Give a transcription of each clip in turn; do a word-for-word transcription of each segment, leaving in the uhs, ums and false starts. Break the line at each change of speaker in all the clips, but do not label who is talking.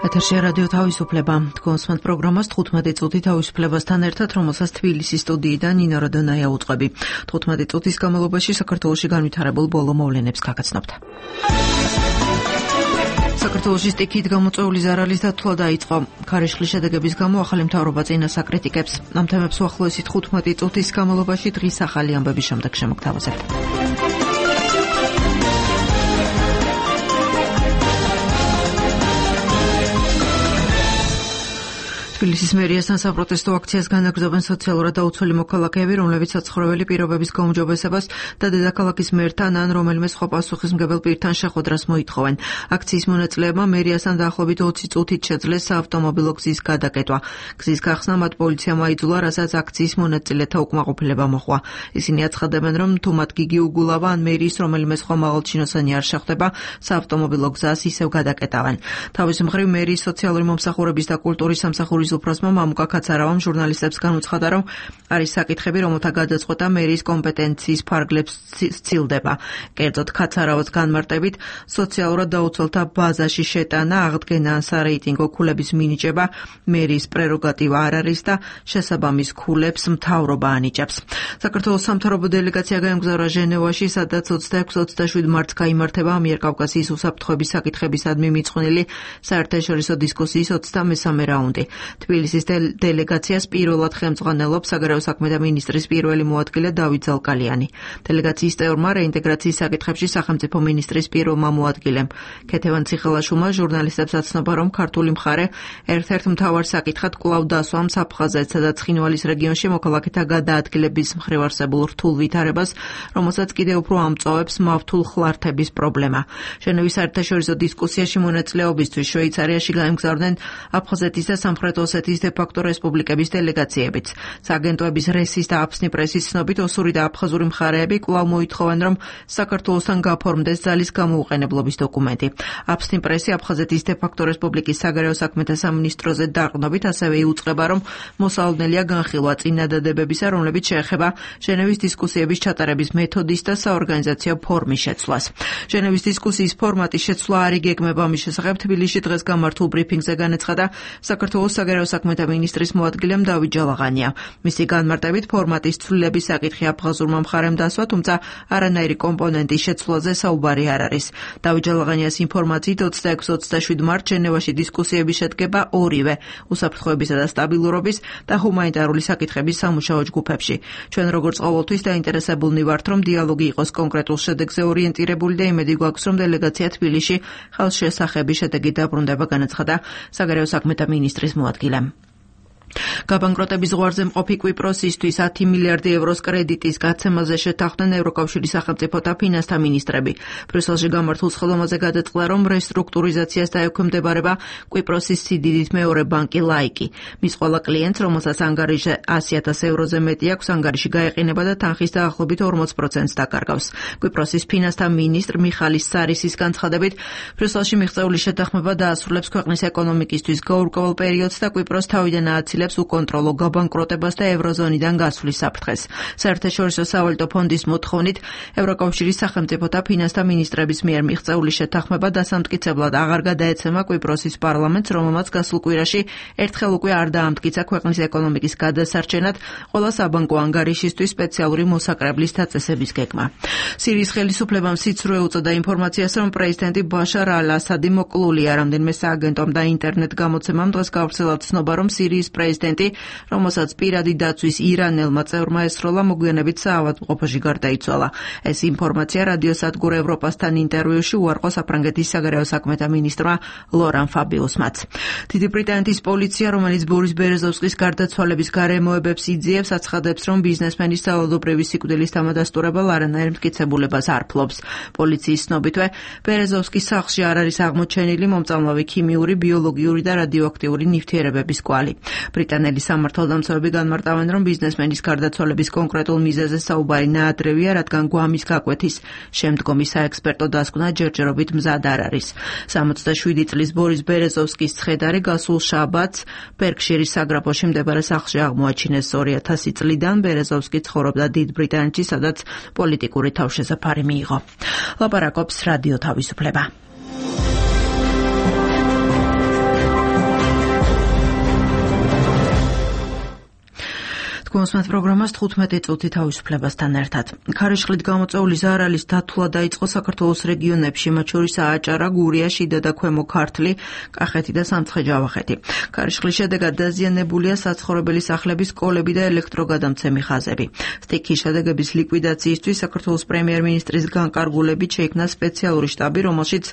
ეთერში რადიო თავისუფლება. თქვენს პროგრამას თხუთმეტი წუთი თავისუფლებასთან ერთად, რომელსაც თბილისის სტუდიიდან ნინო როდონაია უწყები. თხუთმეტი წუთის განმავლობაში საქართველოში განვითარებულ ბოლო მოვლენებს გაგაცნობთ. საქართველოში სტიქით გამოწვეული ზარალის დათვლა დაიწყო. ქარიშხლის შედეგების გამო ახალი მთავრობა წინას აკრიტიკებს. ამ თემებს უახლოესი თხუთმეტი წუთის განმავლობაში დღის ახალი ამბების შემდეგ შემოგთავაზებთ. თბილისის მერიასთან საპროტესტო აქციას განაგრძობენ სოციალურად დაუცველი მოქალაქეები, რომლებიც საცხოვრებელი პირობების გაუმჯობესებას და დედაქალაქის მერთან ან რომელიმე სხვა პასუხისმგებელ პირთან შეხვედრას მოითხოვენ. აქციის მონაწილეებმა მერიასთან დაახლოებით ოცი წუთით შეძლეს საავტომობილო გზის გადაკეტვა. გზის გახსნა მათ პოლიციამ აიძულა, რასაც აქციის მონაწილეთა უკმაყოფილება მოჰყვა. ისინი აცხადებენ, რომ თუ მათ გიგი უგულავა ან მერიის რომელიმე სხვა მაღალჩინოსანი არ შეხვდება, საავტომობილო გზას ისევ გადაკეტავენ. თავის მხრივ მერიის სოციალური მომსახურების და კულტურის სამსახურის უფროსმა მამუკა ქაცარავამ ჟურნალისტებს განუცხადა, რომ არის საკითხები, რომელთა გადაწყვეტა მერიის კომპეტენციის ფარგლებს სცილდება. კერძოდ, ქაცარავას განმარტებით, სოციალურად დაუცველთა ბაზაში შეტანა, აღდგენა ან სარეიტინგო ქულების მინიჭება მერიის პრეროგატივა არ არის და შესაბამის ქულებს მთავრობა ანიჭებს. საქართველოს სამთავრობო დელეგაცია გაემგზავრა ჟენევაში, სადაც ოცდაექვსი ოცდაშვიდი მარტს გაიმართება ამიერკავკასიის უსაფრთხოების საკითხებისადმი მიძღვნილი საერთაშორისო დისკუსიის ოცდამესამე რაუნდი. თბილისის დელეგაციას პირველად ხელმძღვანელობს საგარეო საქმეთა მინისტრის პირველი მოადგილე დავით ზალკალიანი. დელეგაციის წევრმა რეინტეგრაციის საკითხებში სახელმწიფო მინისტრის პირველმა მოადგილემ ქეთევან ციხელაშვილმა ჟურნალისტებს აცნობა, რომ ქართული მხარე ერთ-ერთ მთავარ საკითხად კვლავ დასვამს აფხაზეთსა და ცხინვალის რეგიონში მოქალაქეთა გადაადგილების მხრივ არსებულ რთულ ვითარებას, რომელსაც კიდევ უფრო ამწოვებს მავთულ ხლართების პრობლემა. ჟენევის საერთაშორისო დისკუსიაში მონაწილეობისთვის შვეიცარიაში გაემგზავრნენ აფხაზეთის და სამხრეთ ოსეთის დე-ფაქტო რესპუბლიკების დელეგაციებიც. სააგენტოების რესის და აფსნი პრესის ცნობით ოსური და აფხაზური მხარეები კვლავ მოითხოვენ, რომ საქართველოსთან გაფორმდეს ძალის გამოუყენებლობის დოკუმენტი. აფსნი პრესი აფხაზეთის დე-ფაქტო რესპუბლიკის საგარეო საქმეთა სამინისტროზე დაყრდნობით ასევე იუწყება, რომ მოსალოდნელია განხილვა წინადადებებისა, რომლებიც შეეხება ჟენევის დისკუსიების ჩატარების მეთოდის და საორგანიზაციო ფორმის შეცვლას. ჟენევის დისკუსიის ფორმატის შეცვლა არ იგეგმება. ამის შესახებ თბილისში დღეს გამართულ ბრიფინგზე განაცხადა საქართველოს საგარეო საქმეთა მინისტრის მოადგილემ დავით ჯალაღანია. მისი განმარტებით, ფორმატის ცვლილების საკითხი აფხაზურმა მხარემ დასვა, თუმცა არანაირი კომპონენტის შეცვლაზე საუბარი არ არის. დავით ჯალაღანიას ინფორმაციით ოცდაექვსი ოცდაშვიდი მარტს ჟენევაში დისკუსიები შედგება ორივე უსაფრთხოებისა და სტაბილურობის და ჰუმანიტარული საკითხების სამუშაო ჯგუფებში. ჩვენ როგორც ყოველთვის დაინტერესებულნი ვართ, რომ დიალოგი იყოს კონკრეტულ შედეგზე ორიენტირებული და იმედი გვაქვს, რომ დელეგაცია თბილისში ხელშესახების შედეგით დაბრუნდება, განაცხადა საგარეო საქმეთა მინისტრის მოადგილემ. გაბანკროტების ზღვარზე მყოფი კვიპროსისთვის ათი მილიარდი ევროს კრედიტის გაცემაზე შეთანხმდნენ ევროკავშირის სახელმწიფოთა ფინანსთა მინისტრები. ბრიუსელში გამართულ სხდომაზე გადაწყდა, რომ რესტრუქტურიზაციას დაექვემდებარება კვიპროსის სიდიდით მეორე ბანკი ლაიკი. მის ყველა კლიენტს, რომელსაც ანგარიში ასი ათასი ევროზე მეტი აქვს, ანგარიში გაეყინება და თანხის დაახლოებით ორმოც პროცენტს დაკარგავს. კვიპროსის ფინანსთა მინისტრ მიხალის სარისის განცხადებით, ბრიუსელში მიღწეული შეთანხმება დაასრულებს ქვეყნის ეკონომიკისთვის გაურკვეველ პერიოდს და კვიპროს თავიდან ააცილებს უკონტროლო გაბანკროტებას და ევროზონიდან გასვლის საფრთხეს. საერთაშორისო სავალუტო ფონდის მოთხოვნით ევროკავშირის სახელმწიფოთა ფინანსთა მინისტრების მიერ მიღწეული შეთანხმება დასამტკიცებლად აღარ გადაეცემა კვიპროსის პარლამენტს, რომელმაც გასულ კვირაში ერთხელ უკვე არ დაამტკიცა ქვეყნის ეკონომიკის გადასარჩენად ყველა საბანკო ანგარიშისთვის სპეციალური მოსაკრებლის დაწესების გეგმა. სირიის ხელისუფლებამ სიცრუე უწოდა ინფორმაციას, რომ პრეზიდენტი ბაშარ ალ-ასადი მოკლულია. რამდენიმე სააგენტომ და ინტერნეტ გამოცემამ დღეს გავრცელა ცნობა, რომ სირიის პრეზიდენტი, რომელსაც პირადი დაცვის ირანელმა წევრმა ესროლა, მოგვიანებით საავადმყოფოში გარდაიცვალა. ეს ინფორმაცია რადიოსადგურ ევროპასთან ინტერვიუში უარყო საფრანგეთის საგარეო საქმეთა მინისტრმა ლორან ფაბიუსმაც. დიდი ბრიტანეთის პოლიცია, რომელიც ბორის ბერეზოვსკის გარდაცვალების გარემოებებს იძიებს, აცხადებს, რომ ბიზნესმენის სავალდობრივი სიკვდილის თამადასტურებელ არანაირ მტკიცებულებას არ ფლობს. პოლიციის ცნობითვე, ბერეზოვსკის სახლში არ არის აღმოჩენილი მომწამლავი ქიმიური, ბიოლოგიური და რადიოაქტიური ნივთიერებების კვალი. ბრიტანელი სამართალდამცავები განმარტავენ, რომ ბიზნესმენის გარდაცვალების კონკრეტულ მიზეზზე საუბარი ნაადრევია, რადგან გვამის გაკვეთის შემდგომი საექსპერტო დასკვნა ჯერჯერობით მზად არ არის. სამოცდაშვიდი წლის ბორის ბერეზოვსკის ცხედარი გასულ შაბათს ბერკშირის საგრაფოში მდებარე სახლში აღმოაჩინეს. ორი ათასი წლიდან ბერეზოვსკი ცხოვრობდა დიდ ბრიტანეთში, სადაც პოლიტიკური თავშესაფარი მიიღო. ლაპარაკობს რადიო თავისუფლება. გულისხმობ პროგრამას თხუთმეტი წუთი თავისუფლებასთან ერთად. ქარიშხლით გამოწვეული ზარალის დათვლა დაიწყო საქართველოს რეგიონებში, მათ შორის ააჭარა, გურია, შიდა და ქვემო ქართლი, კახეთი და სამცხე-ჯავახეთი. ქარიშხლის შედეგად დაზიანებულია საცხოვრებელი სახლების სკოლები და ელექტროგადამცემი ხაზები. სტიქიის შედეგების ლიკვიდაციისთვის საქართველოს პრემიერ-მინისტრის განკარგულებით შეიქმნა სპეციალური შტაბი, რომელშიც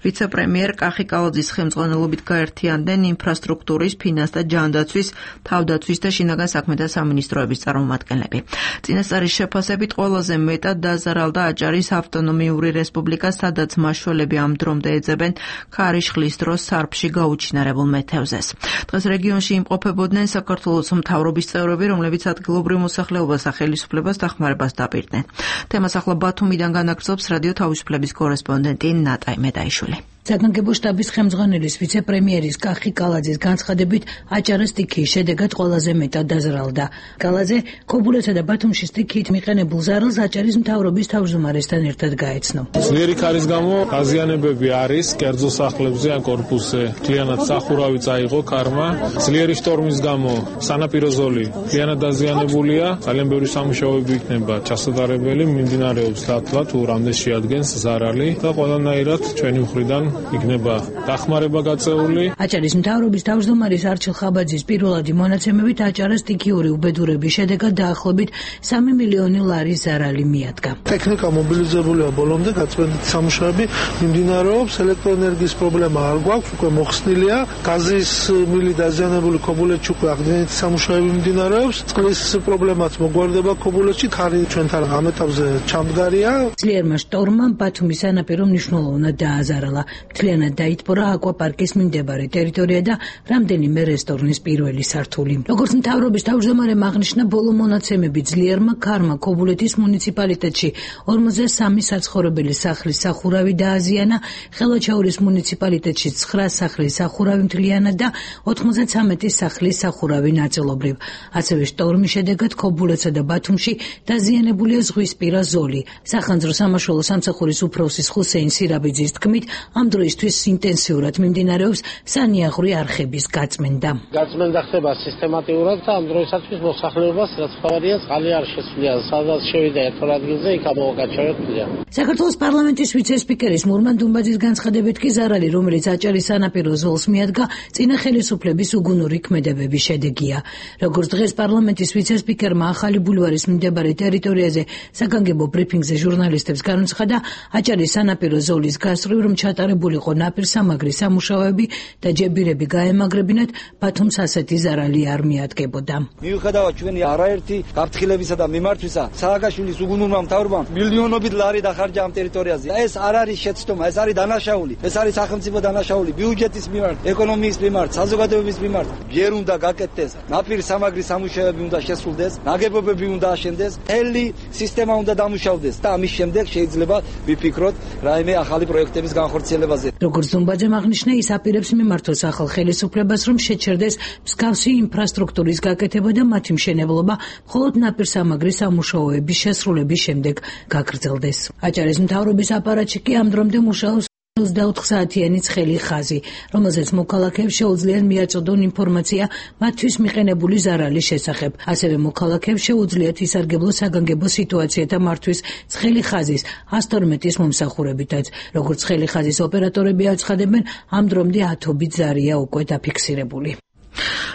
ვიცე-პრემიერ კახი კალაძის ხელმძღვანელობით გაერთიანდნენ ინფრასტრუქტურის, ფინანსთა, ჯანდაცვის, თავდაცვის და შინაგან საქმეთა სამინისტროების წარმომადგენლები. წინასწარის შეფასებით ყველაზე მეტად დაზარალდა აჭარის ავტონომიური რესპუბლიკა, სადაც მაშველები ამ დრომდე ეძებენ ქარიშხლის დროს სარფში გაუჩინარებულ მეთევზეს. დღეს რეგიონში იმყოფებოდნენ საქართველოს მთავრობის წევრები, რომლებიც ადგილობრივ მოსახლეობას და ხელისუფლებას დახმარებას დაპირდნენ. თემას ახლა ბათუმიდან განაგრძობს რადიო თავისუფლების კორესპონდენტი ნატაი მედაიშვილი.
საგანგებო შტაბის ხელმძღვანელის ვიცე-პრემიერის კახი კალაძის განცხადებით, აჭარა სტიქიის შედეგად ყველაზე მეტად დაზარალდა. კალაძე ქობულეთსა და ბათუმში სტიქიით მიყენებულ ზარალს აჭარის მთავრობის თავმჯდომარესთან ერთად გაეცნო.
ძლიერი ქარის გამო დაზიანებები არის კერძო სახლებზე ან კორპუსზე. მთლიანად სახურავი წაიღო ქარმა. ძლიერი შტორმის გამო სანაპირო ზოლი მთლიანად დაზიანებულია. ძალიან ბევრი სამუშაოები იქნება ჩასატარებელი, მიმდინარეობს დათვლა თუ რამდენ შეადგენს ზარალი და ყველანაირად ჩვენი მხრიდან იქნება დახმარება გაწეული.
აჭარის მთავრობის თავმჯდომარის არჩილ ხაბაძის პირველადი მონაცემებით აჭარას სტიქიური უბედურების შედეგად დაახლოებით სამი მილიონი ლარის ზარალი მიადგა.
ტექნიკა მობილიზებულია ბოლომდე, გაწმენდით სამუშაოები მიმდინარეობს, ელექტროენერგიის პრობლემა არ გვაქვს, უკვე მოხსნილია, გაზის მილი დაზიანებული ქობულეთში უკვე აღდგენითი სამუშაოები მიმდინარეობს, წყლის პრობლემაც მოგვარდება ქობულეთში, ქარი ჩვენთან ამ ეტაპზე ჩამდგარია.
ძლიერმა შტორმმა ბათუმის სანაპირო მნიშვნელოვნად დააზარალა. მთლიანად დაითბორა აკვაპარკის მიმდებარე ტერიტორია და რამდენიმე რესტორნის პირველი სართული. როგორც მთავრობის თავმჯდომარემ აღნიშნა, ბოლო მონაცემები ძლიერმა ქარმა ქობულეთის მუნიციპალიტეტში ორმოცდა სამი საცხოვრებელი სახლის სახურავი დააზიანა, ხელვაჩაურის მუნიციპალიტეტში ცხრა სახლის სახურავი მთლიანად და ოთხმოცდათრამეტი სახლის სახურავი ნაწილობრივ. ასევე შტორმის შედეგად ქობულეთსა და ბათუმში დაზიანებულია ზღვისპირა ზოლი. სახანძრო სამაშველო სამსახურის უფროსის ხუსეინ სირაბიძის თქმით, ამ დროისთვის ინტენსიურად მიმდინარეობს სანიაღვრე არხების გაწმენდა.
გაწმენდა ხდება სისტემატიურად და ამ დროისათვის მოსახლეობას რაც ხავარია წყალი არ შესვლია, სადაც შევიდა ერთად ადგილზე, იქ ამოვაკაჩავებია.
საქართველოს პარლამენტის ვიცე-სპიკერის მურმან დუმბაძის განცხადებით კი ზარალი, რომელიც აჭარის სანაპირო ზოლს მიადგა, წინა ხელისუფლების უგუნური ქმედებების შედეგია. როგორც დღეს პარლამენტის ვიცე-სპიკერმა ახალი ბულვარის მიმდებარე ტერიტორიაზე საგანგებო ბრიფინგზე ჟურნალისტებს განუცხადა, აჭარის სანაპირო ზოლის გასწვრივ რომ ჩატარებულიყო ნაპირსამაგრის სამუშაოები და ჯებირები გაემაგრებინათ, ბათუმს ასეთი ზარალი არ მიადგებოდა.
მიუხედავად ჩვენი არაერთი გაფრთხილებისა და მიმართვისა, სააკაშვილის უგუნურმა მთავრობამ მილიონობით ლარი დახარჯა ამ ტერიტორიაზე. ეს არ არის შეცდომა, ეს არის დანაშაული, ეს არის სახელმწიფო დანაშაული, ბიუჯეტის მიმართ, ეკონომიკის მიმართ, საზოგადოების მიმართ. ჯერ უნდა გაკეთდეს ნაპირსამაგრის სამუშაოები, უნდა შესრულდეს, ნაგებობები უნდა აშენდეს, მთელი სისტემა უნდა დამუშავდეს და ამის შემდეგ შეიძლება ვიფიქროთ რაიმე ახალი პროექტების განხორციელებაზე.
როგორც დუმბაძემ აღნიშნა, ის აპირებს მიმართოს ახალ ხელისუფლებას, რომ შეჩერდეს მსგავსი ინფრასტრუქტურის გაკეთება და მათი მშენებლობა მხოლოდ ნაპირსამაგრის სამუშაოების შესრულების შემდეგ გაგრძელდეს. აჭარის მთავრობის აპარატში კი ამ დრომდე მუშაობს ოცდაოთხ საათიანი ცხელი ხაზი, რომელზეც მოქალაქეებს შეუძლიათ მიაწოდონ ინფორმაცია მათთვის მიყენებული ზარალის შესახებ. ასევე მოქალაქეებს შეუძლიათ ისარგებლოს საგანგებო სიტუაციათა მართვის ცხელი ხაზის ას თორმეტის მომსახურებითაც. როგორც ცხელი ხაზის ოპერატორები აცხადებენ, ამ დრომდე ათობით ზარია უკვე დაფიქსირებული.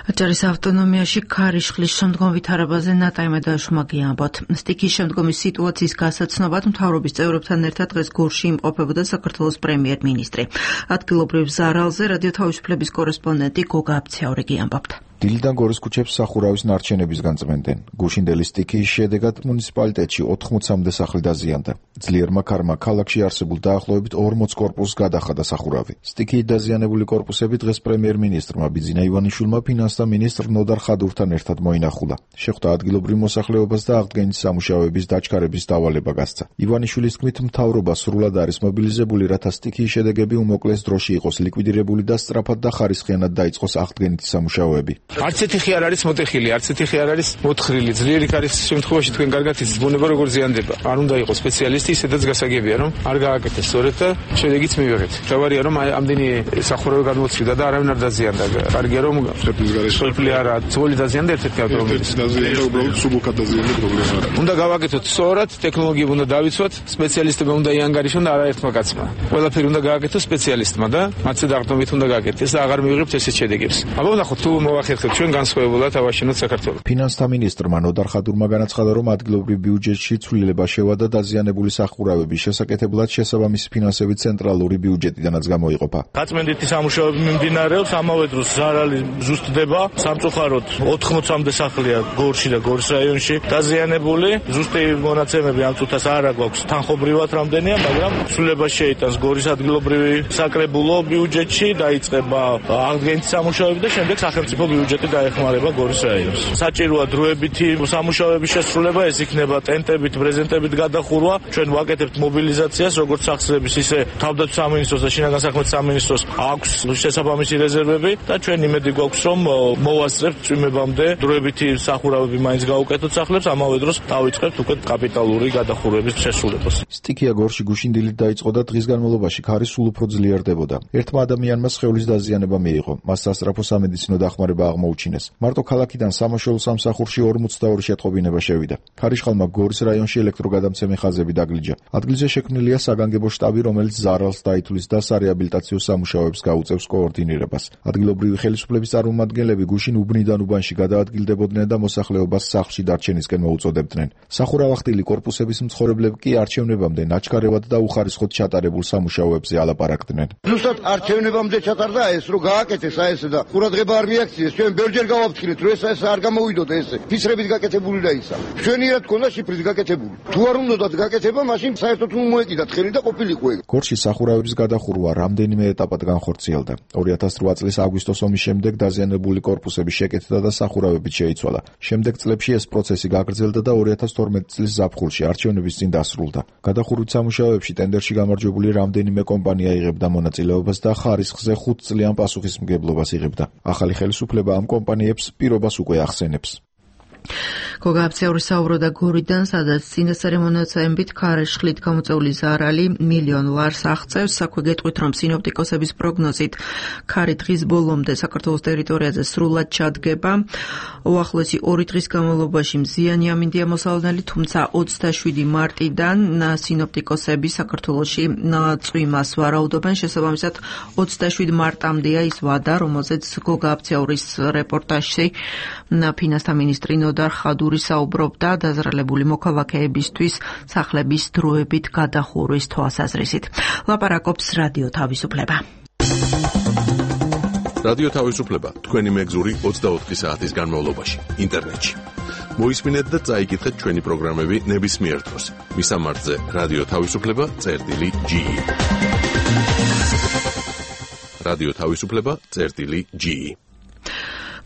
აჭარის ავტონომიაში ქარიშხლის შემდგომ ვითარებაზე ნატაი მედაიშვილმა გიამბოთ. სტიქიის შემდგომი სიტუაციის გასაცნობად მთავრობის წევრებთან ერთად დღეს გორში იმყოფებოდა საქართველოს პრემიერ-მინისტრი. ადგილობრივ ზარალზე რადიო თავისუფლების კორესპონდენტი გოგა აბცაური გიამბობთ.
დილიდან გორის ქუჩებს სახურავის ნარჩენების განწმენდნენ. გუშინდელი სტიქიის შედეგად მუნიციპალიტეტში ოთხმოცამდე სახლი დაზიანდა. ძლიერმა ქარმა ქალაქში არსებულ დაახლოებით ორმოც კორპუსს გადახადა სახურავი. სტიქიით დაზიანებული კორპუსები დღეს პრემიერ-მინისტრმა ბიძინა ივანიშვილმა ფინანსთა მინისტრ ნოდარ ხადურთან ერთად მოინახულა. შეხვდა ადგილობრივ მოსახლეობას და აღდგენითი სამუშაოების დაჩქარების დავალება გასცა. ივანიშვილის თქმით, მთავრობა სრულად არის მობილიზებული, რათა სტიქიის შედეგები უმოკლეს დროში იყოს ლიკვიდირებული და სწრაფად და ხარისხიანად დაიწყოს აღდგენითი სამუშაოები.
არც ერთი ხი არ არის მოტეხილი, არც ერთი ხი არ არის მოთხრილი. ძლიერი ქარის შემთხვევაში თქვენ კარგად იცით ბუნება როგორ ზიანდება. არ უნდა იყოს სპეციალისტი, ისედაც გასაგებია, რომ არ გააკეთეს სწორედ და შედეგიც მივიღეთ. თავარია რომ ამდენი სახურავი გადმოცვიდა და არავინ არ დაზიანდა. კარგია რომ სოფლი არა, ძველი დაზიანდა ერთ-ერთი ავტომობილის.
დაზიანდა უბრალოდ სუბუქად დაზიანდა პრობლემა არა.
უნდა გავაკეთოთ სწორად, ტექნოლოგიები უნდა დავიცვათ, სპეციალისტები უნდა იანგარიშონ და არაერთმა კაცმა. ყველაფერი უნდა გააკეთოს სპეციალისტმა და მათზე დაყრდნობით უნდა გააკეთდეს და აღარ მივიღებთ ესეთ შედეგებს. აბა ვნახოთ თუ მოახერხებთ ჩვენ განსხვავებულად ავაშენოთ საქართველოს.
ფინანსთა მინისტრმა ნოდარ ხადურმა განაცხადა, რომ ადგილობრივ ბიუჯეტში ცვლილება შევადა დაზიანებული სახურავების შესაკეთებლად შესაბამისი ფინანსები ცენტრალური ბიუჯეტიდანაც გამოიყოფა.
გაწმენდითი სამუშაოები მიმდინარეობს, ამავე დროს ზარალი ზუსტდება. სამწუხაროდ ოთხმოცამდე სახლია გორში და გორის რაიონში დაზიანებული. ზუსტი მონაცემები ამ წუთას არ აქვს თანხობრივად რამდენია, მაგრამ ცვლილება შეიტანს გორის ადგილობრივი საკრებულო ბიუჯეტში, დაიწყება აღდგენითი სამუშაოები და შემდეგ სახელმწიფო ბიუჯეტი დაეხმარება გორის რაიონს. საჭიროა დროებითი სამუშაოების შესრულება, ეს იქნება ტენტებით, ბრეზენტებით გადახურვა. ჩვენ ვაკეთებთ მობილიზაციას, როგორც სახსრების, ისე თავდაცვის სამინისტროს და შინაგან საქმეთა სამინისტროს აქვს შესაბამისი რეზერვები და ჩვენ იმედი გვაქვს, რომ მოვასწრებთ წვიმებამდე დროებითი სახურავები მაინც გაუკეთოთ სახლებს, ამავე დროს დავიწყებთ უკვე კაპიტალური გადახურვების შესრულებას.
სტიქია გორში გუშინდილით დაიწყო და დღის განმავლობაში ქარი სულ უფრო ძლიერდებოდა. ერთმა ადამიანმა სხეულის დაზიანება მიიღო. მას სასწრაფო სამედიცინო დახმარება აღმოუჩინეს. მარტო ქალაქიდან სამაშველო სამსახურში ორმოცდაორი შეტყობინება შევიდა. ქარიშხალმა გორის რაიონში ელექტროგადამცემი ხაზები დაგლიჯა. ადგილზე შექმნილია საგანგებო შტაბი, რომელიც ზარალს დაითვლის და სარეაბილიტაციო სამუშაოებს გაუწევს კოორდინირებას. ადგილობრივი ხელისუფლების წარმომადგენლები გუშინ უბნიდან უბანში გადაადგილდებოდნენ და მოსახლეობას სახლში დარჩენისკენ მოუწოდებდნენ. სახურავახტილი კორპუსების მცხოვრებლები კი არჩევნებამდე ნაჩქარევად და უხარისხოდ ჩატარებულ სამუშაოებზე ალაპარაკდნენ.
ზუსტად არჩევნებამდე ჩატარდა ეს, რომ გააკეთეს აი ესე და ყურადღება არ მიაქციეს. ჩვენ ბევრჯერ გავაფრთხილეთ, რომ ეს ეს არ გამოვიდოდა ესე. ფისრებით გაკეთებული და ისა. ჩვენიერად ქონდა შიფრით გაკეთებული. თუ არ უნდათ გაკეთება, მაშინ საერთოდ მოეკიდათ ხელი და ყოფილიყო ეგ.
გორში სახურავების გადახურვა რამდენიმე ეტაპად განხორციელდა. ორი ათას რვა წლის აგვისტოს ომის შემდეგ დაზიანებული კორპუსები შეკეთდა და სახურავებით შეიცვალა. შემდეგ წლებში ეს პროცესი გაგრძელდა და ორი ათას თორმეტი წლის ზაფხულში არჩევნების წინ დასრულდა. გადახურვის სამუშაოებში ტენდერში გამარჯვებული რამდენიმე კომპანია იღებდა მონაწილეობას და ხარისხზე ხუთ წლიან პასუხისმგებლობას იღებდა. ახალი ხელისუფლება ამ კომპანიებს პირობას უკვე ახსენებს.
გოგა აბცეური საუბრობდა გორიდან, სადაც წინასწარი მონაცემებით ქარიშხლით გამოწეული ზარალი მილიონ ლარს აღწევს. საქმე გეტყვით, რომ სინოპტიკოსების პროგნოზით ქარი დღის ბოლომდე საქართველოს ტერიტორიაზე სრულად ჩადგება. უახლოესი ორი დღის განმავლობაში მზიანი ამინდია მოსალოდნელი, თუმცა ოცდაშვიდი მარტიდან სინოპტიკოსები საქართველოში წვიმას ვარაუდობენ. შესაბამისად, ოცდაშვიდი მარტამდეა ის ვადა, რომელზეც გოგა აბცეურის რეპორტაჟში ფინანსთა მინისტრი ნოდარ ხადური საუბრობდა დაზრალებული მოქალაქეებისთვის სახლების დროებით გადახურვის თვალსაზრისით. ლაპარაკობს რადიო თავისუფლება.
რადიო თავისუფლება თქვენი მეგზური ოცდაოთხი საათის განმავლობაში ინტერნეტში. მოისმინეთ და წაიკითხეთ ჩვენი პროგრამები ნებისმიერ დროს. მისამართზე რადიო თავისუფლება წერტილი ჯი. რადიო თავისუფლება წერტილი ჯი.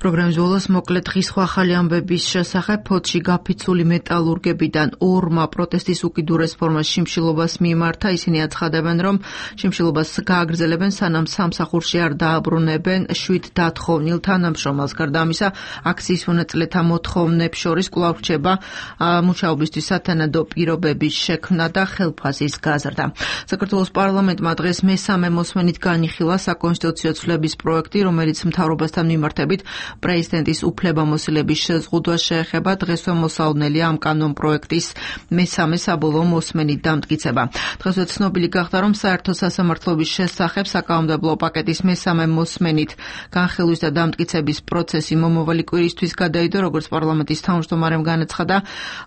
პროგრამის ბოლოს მოკლედ ღირსხვა ახალი ამბების შესახებ ფოთში გაფიცული მეტალურგებიდან ორმა პროტესტის უკიდურეს ფორმას შიმშილობას მიმართა. ისინი აცხადებენ, რომ შიმშილობას გააგრძელებენ, სანამ სამსახურში არ დააბრუნებენ შვიდ დათხოვნილ თანამშრომელს. გარდა ამისა, აქციის მონაწილეთა მოთხოვნებს შორის კვლავ რჩება მუშაობისთვის სათანადო პირობების შექმნა და ხელფასის გაზრდა. საქართველოს პარლამენტმა დღეს მესამე მოსმენით განიხილა საკონსტიტუციო ცვლების პროექტი, რომელიც მთავრობასთან მიმართებით პრეზიდენტის უფლებამოსილების შეზღუდვა შეეხება. დღესვე მოსალოდნელია ამ კანონ პროექტის მესამე საბოლოო მოსმენით დამტკიცება. დღესვე ცნობილი გახდა, რომ საერთო სასამართლოების შესახებ საკანონმდებლო პაკეტის მესამე მოსმენით განხილვის და დამტკიცების პროცესი მომავალი კვირისთვის გადაიდო. როგორც პარლამენტის თავმჯდომარემ განაცხადა,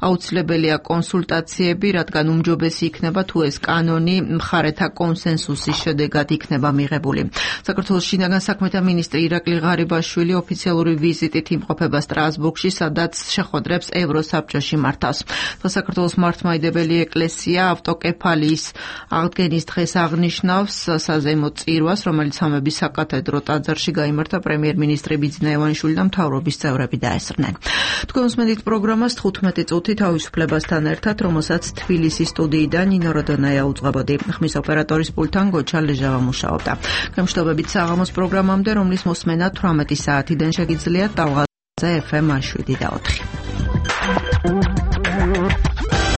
აუცილებელია კონსულტაციები, რადგან უმჯობესი იქნება, თუ ეს კანონი მხარეთა კონსენსუსის შედეგად იქნება მიღებული. საქართველოს შინაგან საქმეთა მინისტრი ირაკლი ღარიბაშვილი ოფიციალურად ვიზიტით იმყოფება სტრასბურგში, სადაც შეხვედრებს ევროსაბჭოში მართავს. საქართველოს მართლმადიდებელი ეკლესია ავტოკეფალიის აღდგენის დღეს აღნიშნავს საზეიმო წირვას, რომელიც სამების საკათედრო ტაძარში გაიმართა. პრემიერ-მინისტრი ბიძინა ივანიშვილი და მთავრობის წევრები დაესწრნენ. თქვენ უსმენთ პროგრამას თხუთმეტი წუთი თავისუფლებასთან ერთად, რომელსაც თბილისის სტუდიიდან ნინო როდონაია უძღვებოდი. ხმის ოპერატორის პულტთან გოჩა ლეჟავა მუშაობდა. გამშვიდობებით საღამოს პროგრამამდე, რომლის მოსმენა თვრამეტი საათიდან შეგიძლიათ ტალღაზე ეფ ემ შვიდი და ოთხი.